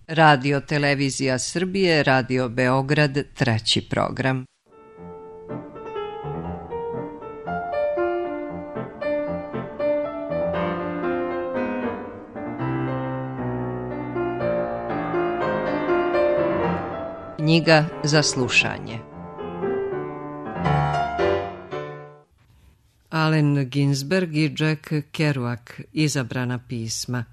Radio Televizija Srbije, Radio Beograd, treći program. Knjiga za slušanje. Allen Ginsberg i Jack Kerouac, izabrana pisma.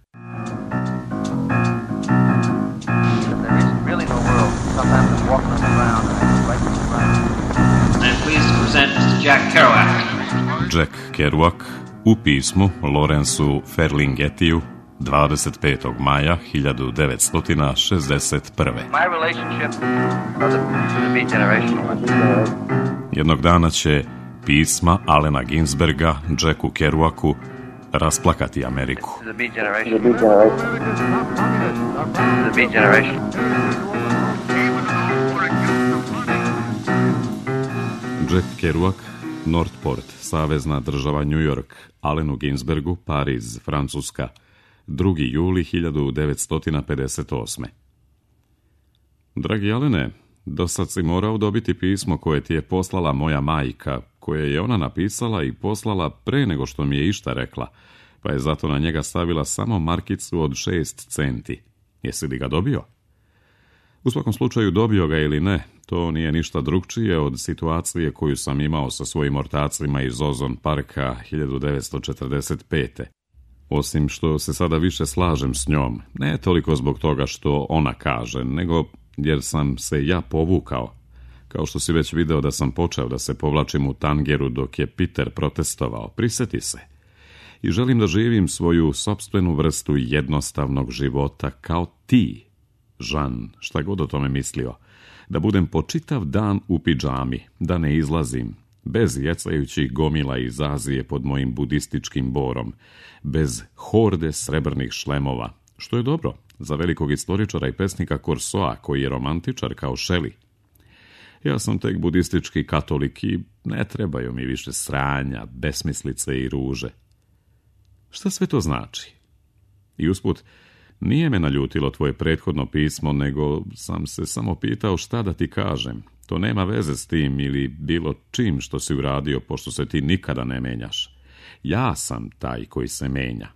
Jack Kerouac u pismu Lawrenceu Ferlinghettiju 25. maja 1961. Jednog dana će pisma Allena Ginsberga Jacku Kerouacu rasplakati Ameriku. Jack Kerouac, Northport, savezna država New York, Allenu Ginsbergu, Pariz, Francuska, 2. juli 1958. Dragi Allene, dosad si morao dobiti pismo koje ti je poslala moja majka, koje je ona napisala i poslala pre nego što mi je išta rekla, pa je zato na njega stavila samo markicu od 6 centi. Jesi li ga dobio? U svakom slučaju, dobio ga ili ne, to nije ništa drugčije od situacije koju sam imao sa svojim ortacima iz Ozone Parka 1945. Osim što se sada više slažem s njom, ne toliko zbog toga što ona kaže, nego jer sam se ja povukao. Kao što si već video da sam počeo da se povlačim u tangeru dok je Peter protestovao, prisjeti se. I želim da živim svoju sopstvenu vrstu jednostavnog života kao ti, Žan, šta god o tome mislio. Da budem po čitav dan u pidžami, da ne izlazim, bez jecajućih gomila iz Azije pod mojim budističkim borom, bez horde srebrnih šlemova, što je dobro za velikog istoričara i pesnika Corsoa, koji je romantičar kao Shelley. Ja sam tek budistički katolik i ne trebaju mi više sranja, besmislice i ruže. Šta sve to znači? I usput, nije me naljutilo tvoje prethodno pismo, nego sam se samo pitao šta da ti kažem. To nema veze s tim ili bilo čim što si uradio, pošto se ti nikada ne menjaš. Ja sam taj koji se menja.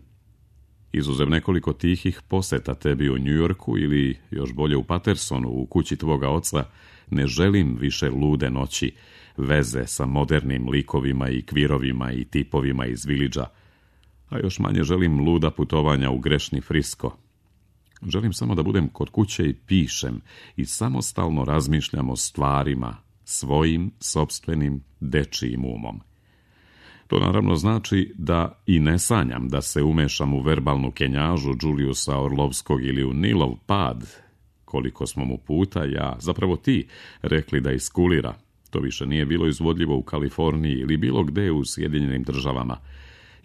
Izuzev nekoliko tihih poseta tebi u New Yorku ili još bolje u Patersonu, u kući tvoga oca, ne želim više lude noći, veze sa modernim likovima i kvirovima i tipovima iz Villagea, a još manje želim luda putovanja u grešni Frisko. Želim samo da budem kod kuće i pišem i samostalno razmišljam o stvarima, svojim, sopstvenim, dečijim umom. To naravno znači da i ne sanjam da se umešam u verbalnu kenjažu Juliusa Orlovskog ili u Nilov pad, koliko smo mu puta ja, zapravo ti, rekli da iskulira. To više nije bilo izvodljivo u Kaliforniji ili bilo gde u Sjedinjenim Državama.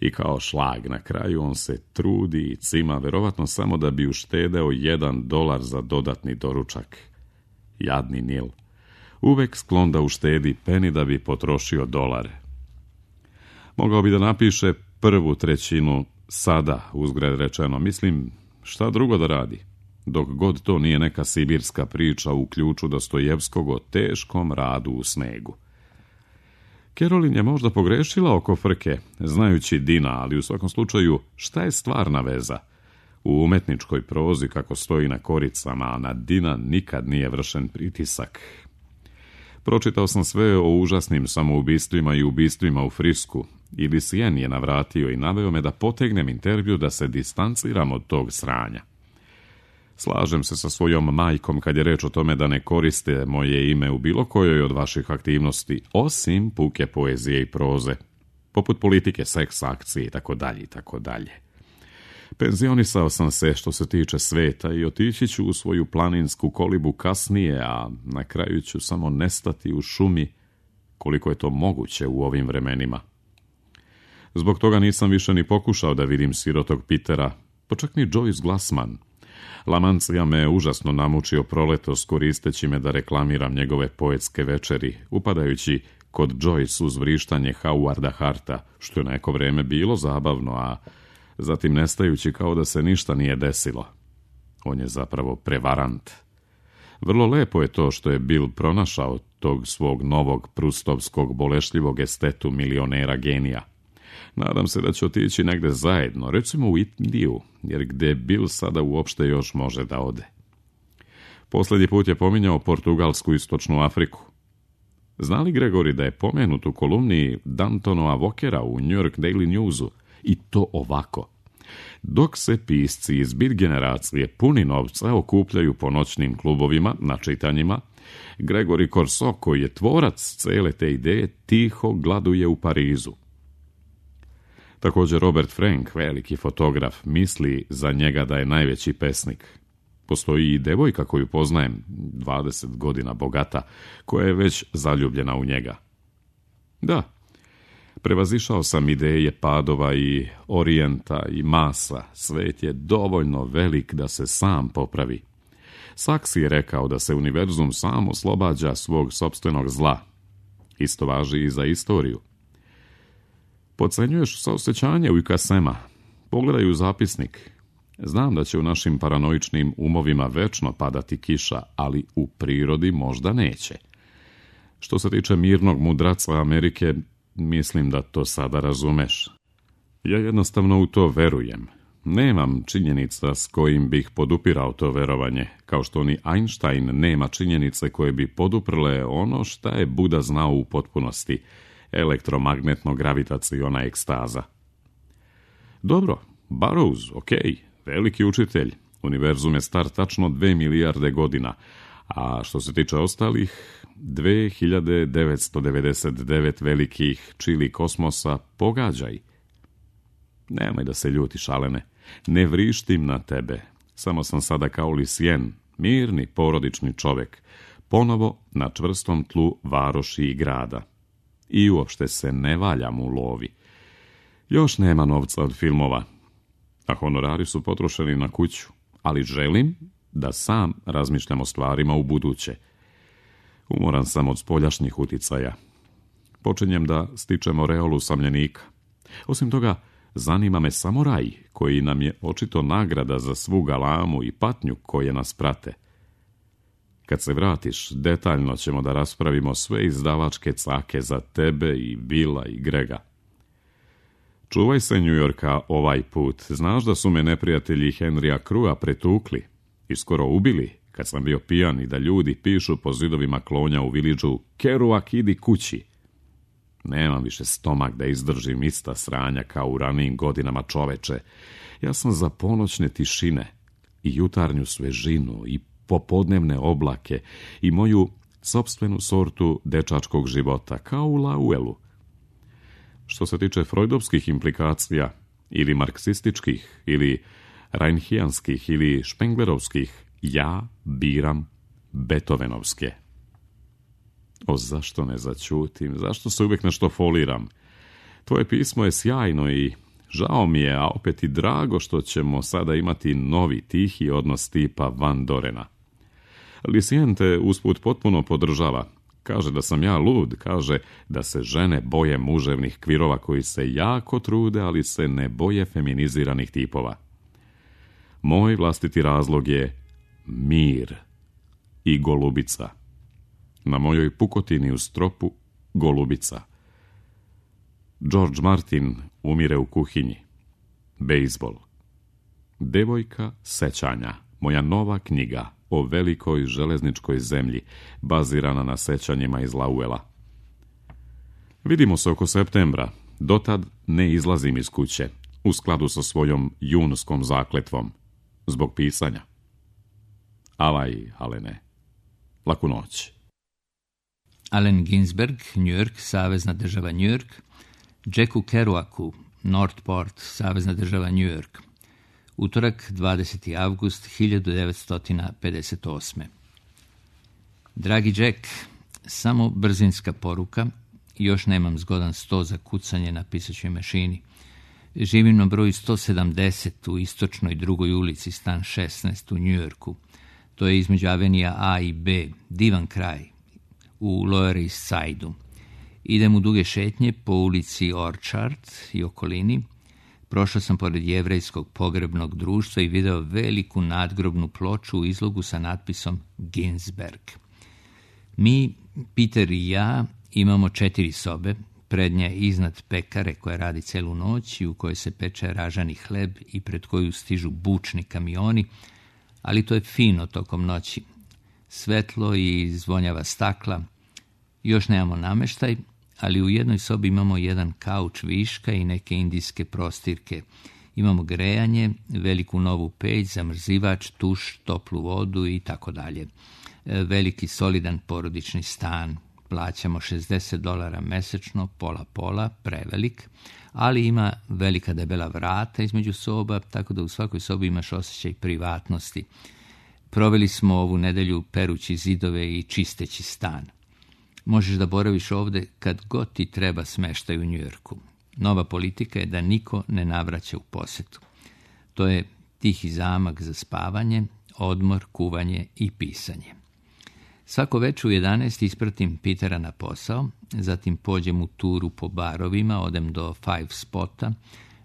I kao šlag na kraju on se trudi i cima, verovatno samo da bi uštedeo $1 za dodatni doručak. Jadni Nil. Uvek sklon da uštedi peni da bi potrošio $1. Mogao bi da napiše prvu trećinu sada, uzgred rečeno. Mislim, šta drugo da radi? Dok god to nije neka sibirska priča u ključu Dostojevskog o teškom radu u snegu. Kerolin je možda pogrešila oko frke, znajući Dina, ali u svakom slučaju, šta je stvarna veza? U umetničkoj prozi, kako stoji na koricama, a na Dina nikad nije vršen pritisak. Pročitao sam sve o užasnim samoubistvima i ubistvima u Frisku, i Lucien je navratio i naveo me da potegnem intervju da se distanciram od tog sranja. Slažem se sa svojom majkom kad je reč o tome da ne koriste moje ime u bilo kojoj od vaših aktivnosti, osim puke poezije i proze, poput politike, seks, akcije itd. itd. Penzionisao sam se što se tiče sveta i otići ću u svoju planinsku kolibu kasnije, a na kraju ću samo nestati u šumi koliko je to moguće u ovim vremenima. Zbog toga nisam više ni pokušao da vidim sirotog Petera, pa čak ni Joyce Glassman. Lamancija me užasno namučio proletos koristeći me da reklamiram njegove poetske večeri, upadajući kod Joyce uz vrištanje Howarda Harta, što je neko vreme bilo zabavno, a zatim nestajući kao da se ništa nije desilo. On je zapravo prevarant. Vrlo lepo je to što je Bill pronašao tog svog novog prustovskog bolešljivog estetu milionera genija. Nadam se da će otići negde zajedno, recimo u Indiju, jer gde Bill sada uopšte još može da ode. Posljednji put je pominjao Portugalsku i Istočnu Afriku. Zna li Gregory da je pomenut u kolumni Dantonova Walkera u New York Daily Newsu? I to ovako. Dok se pisci iz bit generacije puni novca okupljaju po noćnim klubovima na čitanjima, Gregory Corso, koji je tvorac cele te ideje, tiho gladuje u Parizu. Također Robert Frank, veliki fotograf, misli za njega da je najveći pesnik. Postoji i devojka koju poznajem, 20 godina bogata, koja je već zaljubljena u njega. Da, prevazišao sam ideje Padova i Orijenta i Masa. Svet je dovoljno velik da se sam popravi. Saks je rekao da se univerzum sam oslobađa svog sopstvenog zla. Isto važi i za istoriju. Podcenjuješ saosećanje u Ikasema. Pogledaj u zapisnik. Znam da će u našim paranoičnim umovima večno padati kiša, ali u prirodi možda neće. Što se tiče mirnog mudraca Amerike, mislim da to sada razumeš. Ja jednostavno u to verujem. Nemam činjenica s kojim bih podupirao to verovanje, kao što ni Einstein nema činjenice koje bi poduprle ono šta je Buda znao u potpunosti, elektromagnetno-gravitaciona ekstaza. Dobro, Burroughs, okej, veliki učitelj, univerzum je star tačno 2 milijarde godina, a što se tiče ostalih, 2999 velikih čili kosmosa, pogađaj. Nemoj da se ljutiš, Alene, ne vrištim na tebe, samo sam sada kao Lisien, mirni porodični čovek, ponovo na čvrstom tlu varoši i grada. I uopšte se ne valjam u lovi. Još nema novca od filmova, a honorari su potrošeni na kuću, ali želim da sam razmišljam o stvarima u buduće. Umoran sam od spoljašnjih uticaja. Počinjem da stičem oreolu samljenika. Osim toga, zanima me samo raj, koji nam je očito nagrada za svu galamu i patnju koje nas prate. Kad se vratiš, detaljno ćemo da raspravimo sve izdavačke cake za tebe i Billa i Grega. Čuvaj se New Yorka ovaj put. Znaš da su me neprijatelji Henrya Crua pretukli i skoro ubili kad sam bio pijan i da ljudi pišu po zidovima klonja u Villageu Kerouac, idi kući. Nemam više stomak da izdržim ista sranja kao u ranijim godinama, čoveče. Ja sam za ponoćne tišine i jutarnju svežinu i popodnevne oblake i moju sopstvenu sortu dečačkog života, kao u Lauelu. Što se tiče freudovskih implikacija, ili marksističkih, ili reinhijanskih, ili špenglerovskih, ja biram Beethovenovske. O, zašto ne začutim? Zašto se uvijek nešto foliram? Tvoje pismo je sjajno i žao mi je, a opet i drago što ćemo sada imati novi tihi odnos tipa Van Dorena. Lisien te usput potpuno podržava. Kaže da sam ja lud, kaže da se žene boje muževnih kvirova koji se jako trude, ali se ne boje feminiziranih tipova. Moj vlastiti razlog je mir i golubica. Na mojoj pukotini u stropu golubica. George Martin umire u kuhinji. Bejzbol. Devojka sećanja. Moja nova knjiga o velikoj železničkoj zemlji, bazirana na sećanjima iz Lauela. Vidimo se oko septembra. Dotad ne izlazim iz kuće, u skladu sa svojom junskom zakletvom, zbog pisanja. Avaj, Alene. Laku noć. Allen Ginsberg, New York, Savezna država New York. Jacku Kerouacu, Northport, Savezna država New York. Utorak, 20. avgust 1958. Dragi Jack, samo brzinska poruka. Još nemam zgodan sto za kucanje na pisaćoj mašini. Živim na broju 170 u istočnoj 2. ulici, stan 16 u New Yorku. To je između avenija A i B, divan kraj, u Lower East Side-u. Idem u duge šetnje po ulici Orchard i okolini. Prošao sam pored jevrejskog pogrebnog društva i video veliku nadgrobnu ploču u izlogu sa natpisom Ginsberg. Mi, Peter i ja, imamo 4 sobe, prednja iznad pekare koja radi celu noć i u kojoj se peče ražani hleb i pred koju stižu bučni kamioni, ali to je fino tokom noći. Svetlo i zvonjava stakla. Još nemamo nameštaj, ali u jednoj sobi imamo jedan kauč viška i neke indijske prostirke. Imamo grejanje, veliku novu peć, zamrzivač, tuš, toplu vodu i tako dalje. Veliki solidan porodični stan. Plaćamo $60 mesečno, pola, prevelik, ali ima velika debela vrata između soba, tako da u svakoj sobi imaš osjećaj privatnosti. Proveli smo ovu nedelju perući zidove i čisteći stan. Možeš da boraviš ovde kad god ti treba smeštaj u Njujorku. Nova politika je da niko ne navraća u posetu. To je tihi zamak za spavanje, odmor, kuvanje i pisanje. Svako večer u 11 ispratim Petera na posao, zatim pođem u turu po barovima, odem do Five Spota,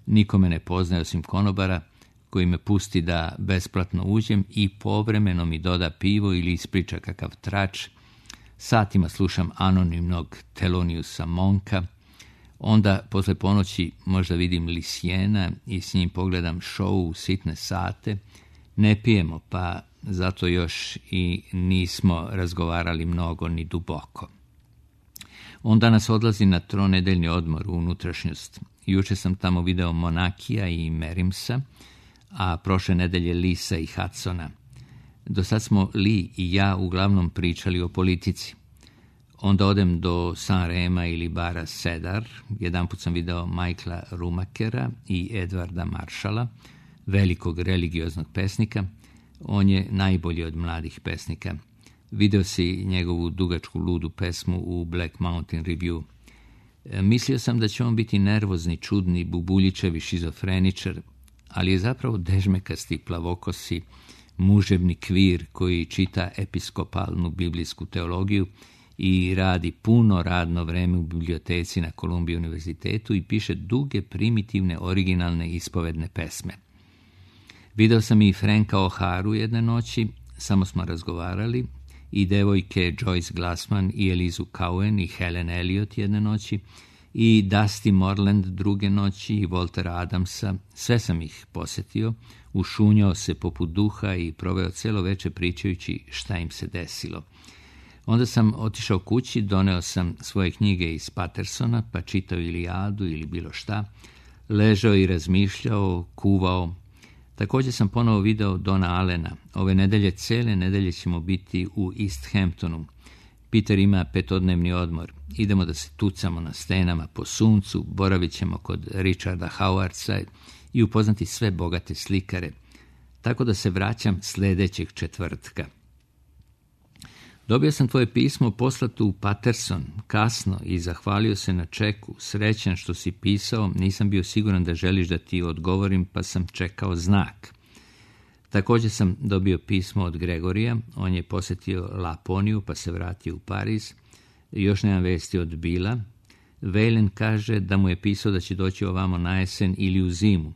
nikome ne poznaje osim konobara, koji me pusti da besplatno uđem i povremeno mi doda pivo ili ispriča kakav trač. Satima slušam anonimnog Theloniousa Monka, onda posle ponoći možda vidim Lisijena i s njim pogledam šou u sitne sate. Ne pijemo, pa zato još i nismo razgovarali mnogo ni duboko. On danas odlazi na 3-nedeljni odmor u unutrašnjost. Juče sam tamo video Monakija i Merimsa, a prošle nedelje Lisa i Hudsona. Do sad smo Lee i ja uglavnom pričali o politici. Onda odem do San Rema ili bara Cedar. Jedanput sam video Michaela Rumakera i Edvarda Marshalla, velikog religioznog pesnika. On je najbolji od mladih pesnika. Video si njegovu dugačku ludu pesmu u Black Mountain Review. Mislio sam da će on biti nervozni, čudni, bubuljičevi šizofreničar, ali je zapravo dežmekasti, plavokosi, muževni kvir koji čita episkopalnu biblijsku teologiju i radi puno radno vreme u biblioteci na Columbia univerzitetu i piše duge, primitivne, originalne ispovedne pesme. Video sam i Franka O'Haru jedne noći, samo smo razgovarali, i devojke Joyce Glassman i Elizu Cowen i Helen Elliot jedne noći, i Dusty Moreland druge noći i Waltera Adamsa. Sve sam ih posetio, ušunjao se poput duha i proveo celo veče pričajući šta im se desilo. Onda sam otišao kući, doneo sam svoje knjige iz Patersona, pa čitao Ilijadu ili bilo šta, ležao i razmišljao, kuvao. Također sam ponovo video Dona Allena. Ove nedelje, cele nedelje ćemo biti u East Hamptonu. Peter ima 5-dnevni odmor. Idemo da se tucamo na stenama po suncu, boravit ćemo kod Richarda Howardsa i upoznati sve bogate slikare. Tako da se vraćam sljedećeg četvrtka. Dobio sam tvoje pismo poslato u Paterson, kasno, i zahvalio se na čeku. Srećan što si pisao, nisam bio siguran da želiš da ti odgovorim, pa sam čekao znak. Također sam dobio pismo od Gregorija, on je posjetio Laponiju, pa se vratio u Pariz. Još nemam vesti od Bila. Valen kaže da mu je pisao da će doći ovamo na jesen ili u zimu.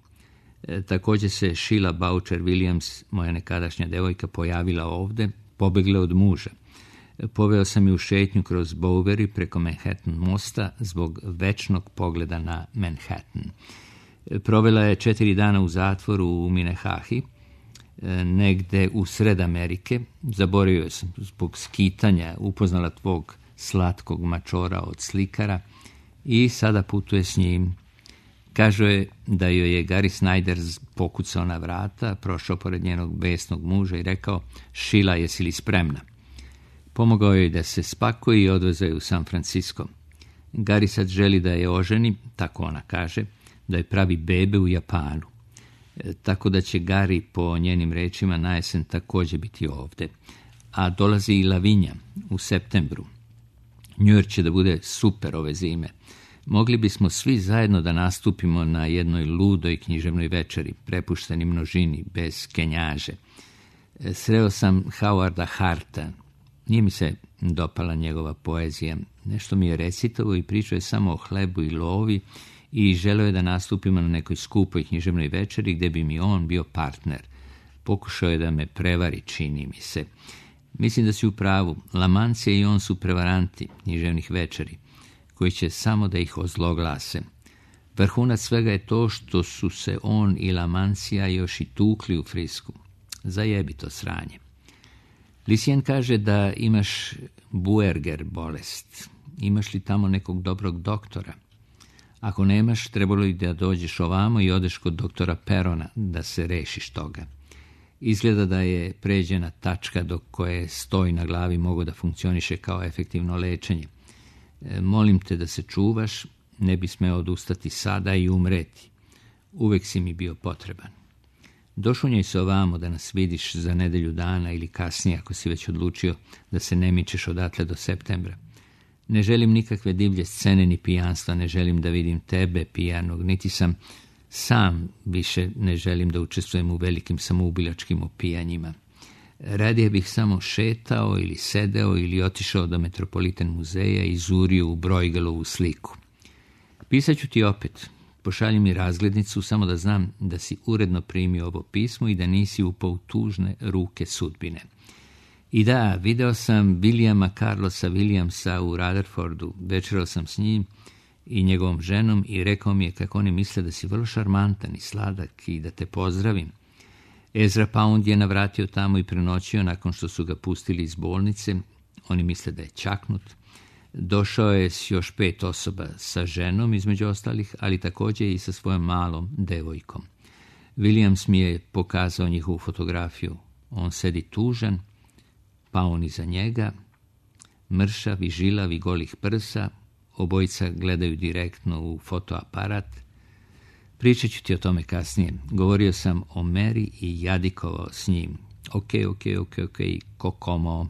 Također se Sheila Boucher Williams, moja nekadašnja devojka, pojavila ovde, pobegla od muža. Poveo sam ju u šetnju kroz Bowery preko Manhattan mosta zbog večnog pogleda na Manhattan. Provela je 4 dana u zatvoru u Minnehahi, negde u sred Amerike. Zaboravio sam zbog skitanja, upoznala tvog slatkog mačora od slikara i sada putuje s njim. Kažu je da joj je Gary Snyder pokucao na vrata, prošao pored njenog besnog muža i rekao: Sheila, jesi li spremna? Pomogao joj da se spakuje i odvezao je u San Francisco. Gary sad želi da je oženi, tako ona kaže, da je pravi bebe u Japanu. Tako da će Gary, po njenim rečima, na jesen također biti ovde. A dolazi i Lavinja u septembru. New York će da bude super ove zime. Mogli bismo svi zajedno da nastupimo na jednoj ludoj književnoj večeri, prepušteni množini, bez kenjaže. Sreo sam Howarda Harta. Nije mi se dopala njegova poezija. Nešto mi je recitao i pričao je samo o hlebu i lovi i želeo je da nastupimo na nekoj skupoj književnoj večeri gdje bi mi on bio partner. Pokušao je da me prevari, čini mi se. Mislim da si u pravu. Lamancija i on su prevaranti književnih večeri, koji će samo da ih ozloglase. Vrhunac svega je to što su se on i Lamancija još i tukli u Frisku. Zajebi to sranje. Lucien kaže da imaš Buerger bolest. Imaš li tamo nekog dobrog doktora? Ako nemaš, trebalo li da dođeš ovamo i odeš kod doktora Perona da se rešiš toga. Izgleda da je pređena tačka do koje stoj na glavi mogu da funkcioniše kao efektivno lečenje. Molim te da se čuvaš, ne bi smeo odustati sada i umreti. Uvek si mi bio potreban. Došunjaj se ovamo da nas vidiš za nedelju dana ili kasnije ako si već odlučio da se ne mičeš odatle do septembra. Ne želim nikakve divlje scene ni pijanstva, ne želim da vidim tebe pijanog, niti sam više ne želim da učestvujem u velikim samoubilačkim opijanjima. Radije bih samo šetao ili sedeo ili otišao do Metropolitan muzeja i zurio u Bruegelovu sliku. Pisat ću ti opet. Pošalji mi razglednicu samo da znam da si uredno primio ovo pismo i da nisi upao u tužne ruke sudbine. I da, video sam Williama Carlosa Williamsa u Rutherfordu, večerao sam s njim i njegovom ženom i rekao mi je kako oni misle da si vrlo šarmantan i sladak i da te pozdravim. Ezra Pound je navratio tamo i prenoćio nakon što su ga pustili iz bolnice. Oni misle da je čaknut. Došao je s još 5 osoba, sa ženom između ostalih, ali također i sa svojom malom devojkom. Williams mi je pokazao njihovu fotografiju. On sedi tužan, pa on iza njega, mršav i žilav i golih prsa, obojica gledaju direktno u fotoaparat. Pričat ću ti o tome kasnije. Govorio sam o Meri i jadikovao s njim. Ok, kokomo.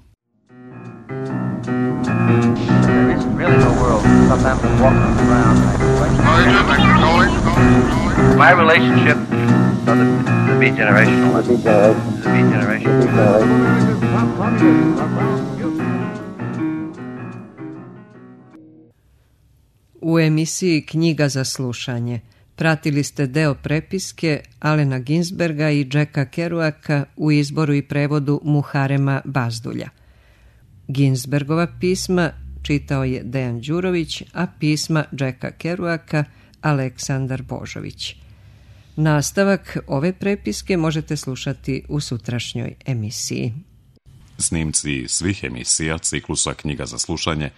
There isn't really no world. Sometimes I'm walking around like my relationship to the beat generation. The beat generation. U emisiji Knjiga za slušanje pratili ste deo prepiske Alena Ginsberga i Jacka Kerouaka u izboru i prevodu Muharema Bazdulja. Ginsbergova pisma čitao je Dejan Đurović, a pisma Jacka Kerouaka Aleksandar Božović. Nastavak ove prepiske možete slušati u sutrašnjoj emisiji. Snimci svih emisija ciklusa Knjiga za slušanje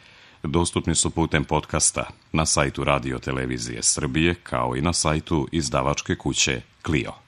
dostupni su putem podcasta na sajtu Radio Televizije Srbije kao i na sajtu izdavačke kuće Clio.